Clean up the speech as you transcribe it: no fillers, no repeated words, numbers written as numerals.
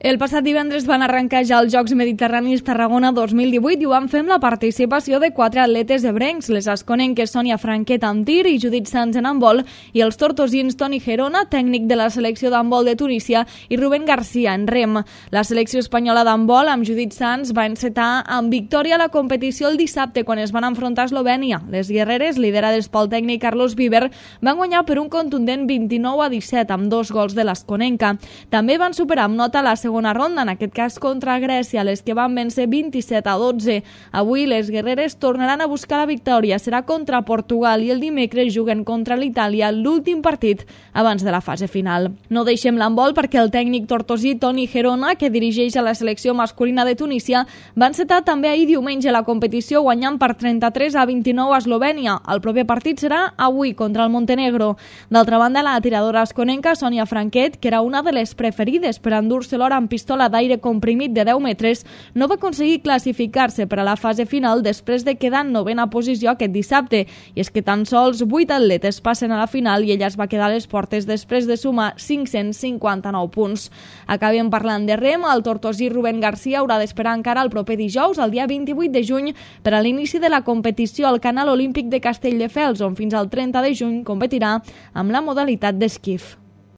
El passat divendres van arrencar ja els Jocs Mediterranis Tarragona 2018 i ho van fer amb la participació de 4 atletes ebrencs, les asconenques Sònia Franquet amb tir i Judit Sans en handbol i els tortosins Toni Gerona, tècnic de la selecció d'handbol de Tunísia, i Rubén García en rem. La selecció espanyola d'handbol amb Judit Sans va encetar amb victòria la competició el dissabte quan es van enfrontar a Eslovènia. Les guerreres, liderades pel tècnic Carlos Viver, van guanyar per un contundent 29-17 amb 2 gols de l'asconenca. També van superar amb nota la segona ronda, en aquest cas contra Grècia, les que van vèncer 27-12. Avui les guerreres tornaran a buscar la victòria. Serà contra Portugal i el dimecres juguen contra l'Itàlia, l'últim partit abans de la fase final. No deixem l'handbol perquè el tècnic tortosí Toni Gerona, que dirigeix a la selecció masculina de Tunísia, va encetar també ahir diumenge la competició guanyant per 33-29 a Eslovènia. El proper partit serà avui contra el Montenegro. D'altra banda, la tiradora asconenca Sònia Franquet, que era una de les preferides per endur-se l'or amb pistola d'aire comprimit de 10 metres, no va aconseguir classificar-se per a la fase final després de quedar en 9a posició aquest dissabte. I és que tan sols 8 atletes passen a la final i ella es va quedar a les portes després de sumar 559 punts. Acabem parlant de rem. El tortosí Rubén García haurà d'esperar encara el proper dijous, el dia 28 de juny, per a l'inici de la competició al Canal Olímpic de Castelldefels, on fins al 30 de juny competirà amb la modalitat d'esquif.